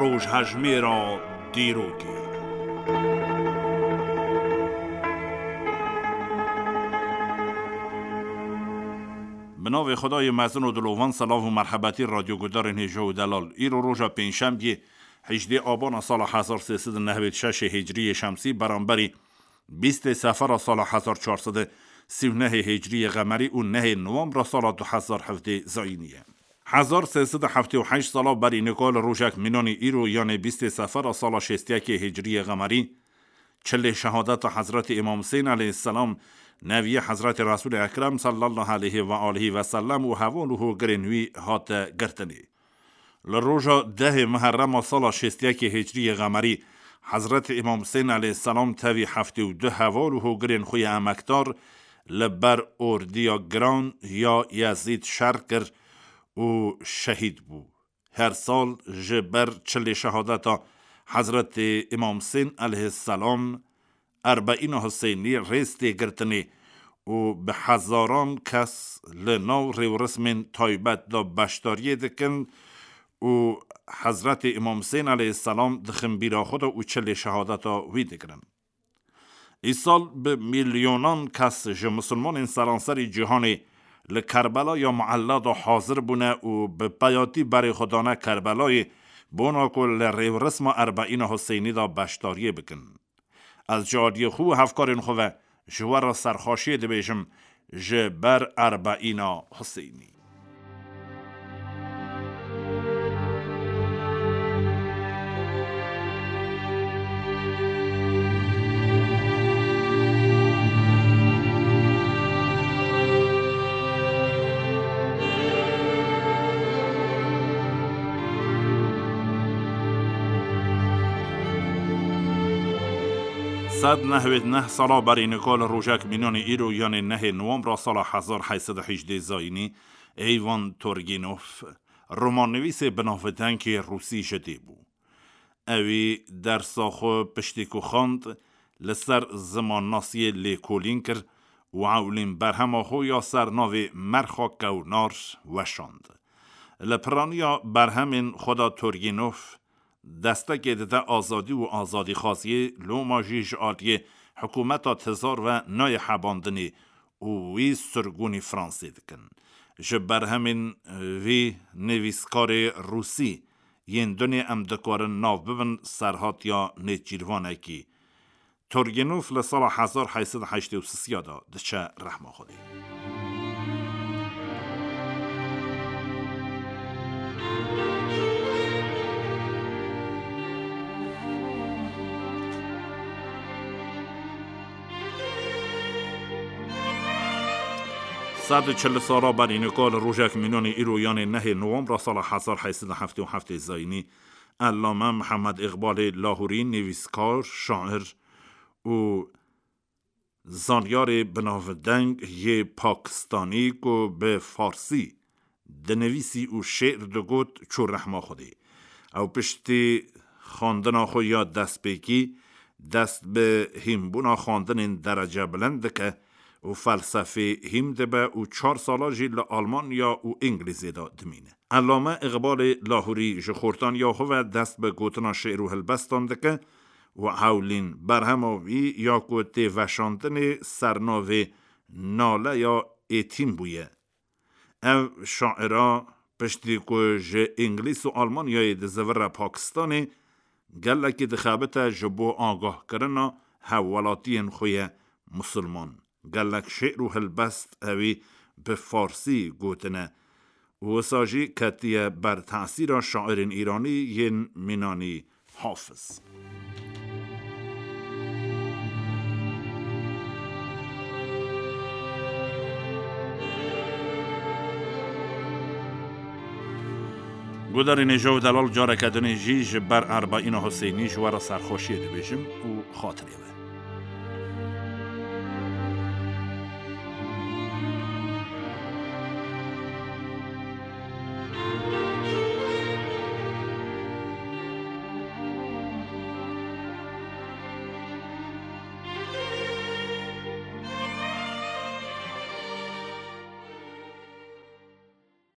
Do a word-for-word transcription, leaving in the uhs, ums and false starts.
Rojhejmêra dîrokê. Bi navê Xwedayê mezin û dilovan, selav û merhebetî radyogudarên hêja û delal. Îro roja pêncşemdiyê, hejdê abana sala hezar sê sed û nehwêd şeşê hicriyê şemsî, beramberî bîstê sefera sala hezar çar sed û sî û nehê hicriyê qemerî û nehê nowembra sala du hezar hevdê zayînî ye. Hezar sê sed û heftê û heşt sala berî nika li rojek mînanî îro, yanê bîstê sefera sala şêst û yekê hicriyê qemerî, çilê şehadeta Hezretî Îmam Husên aleyhisselam, neviyê Hezretî Resûlê Ekrem sallallahu aleyhi ve alihi ve sellem û heval û hogirên wî hate girtinê. Li roja dehê Muherrema sala şêst û yekê hicriyê qemerî, Hezretî Îmam Husên aleyhisselam tevî heftê û du heval û hogirên xwe yê emekdar li ber ordiya giran ya Yezîd şer kir û şehîd bû. Her sal ji ber çilê şehadeta Hezretî Îmam Husên aleyhisselam, Erbeîna Huseynî rêz tê girtinê û bi hezaran kes li nav rêwrismên taybet de beşdariyê dikin û Hezretî Îmam Husên aleyhisselam dixin bîra xwe de û çilê şehadeta wî digirin. Îsal bi milyonan kes ji misilmanên seranserî cîhanê li Kerbela ya Muella de hazir bûne û bi peyatî berê xwe dane Kerbelayê, bona ku li rêwrisma Erbeîna Huseynî de beşdariyê bikin. Ez ji aliyê xwe û hevkarên xwe ve ji we re serxweşiyê dibêjim ji ber Erbeîna Huseynî. Sed nehwêd neh sala berî nika li rojek mînanî îro, yanê nehê nowembra sala hezar heyt sed û hejdê zayînî, Eyvan Turgînov, romannivîsê binavdengê rûsî ji dê bû. Ewî dersa xwe piştî ku xwend, li ser zimannasiyê lêkolîn kir û ewlîn berhema xwe ya ser navê Merxa Kewnar weşand. Li piraniya berhemên xwe de Turgînov destekê dide azadî û azadîxwaziyê, loma jî ji aliyê hikûmeta tizar ve nayê hebandinê û wî sirgûnî Fransê dikin. Ji berhemên vî nivîskarê rûsî yên dunê em dikarin nav bibin serhatiya nêçîrvanekî. Turgênov li sala hezar heyt sed û heştê û sisiya de diçe rehma Xwedê. Sed û çil sala berî nika li rojek mînanê îro, yanê nehê nowembra sala hezar heyt sed û heftê û heftê zayînî, Ellame Mihemed Îqbalê Lahûrî, nivîskar, şair û zanyarê binavdeng yê Pakistanî ku bi farsî dinivîsî û şê'r digot, çû rehma Xwedê. Ew piştî xwendina xwe ya destpêkî dest bi hînbûna xwendinên derece bilind dike û felsefê hîn dibe û çar sala jî li Almanya û Îngilîzê de dimîne. Ellame Îqbalê Lahûrî ji xortaniya xwe ve dest bi gotina şê'r û helbestan dike û hewlîn berhema wî ya ku tê veşandinê sernavê Naleya Êtîm bûye. Ev şaira piştî ku ji Îngilîz û Almanyayê dizivire Pakistanê, gelekî dixebite ji bo agahkirina hevwelatiyên xwe ye misilman. Gelek şê'r û helbest ewî bi farsî gotine û wisa jî ketiye ber tesîra şairên îranî yên mînanî Hafiz. Gudarên hêja û delal, careke dinê jî ji ber Erbeîna Huseynî ji we re serxweşiyê dibêjim û xatirê we.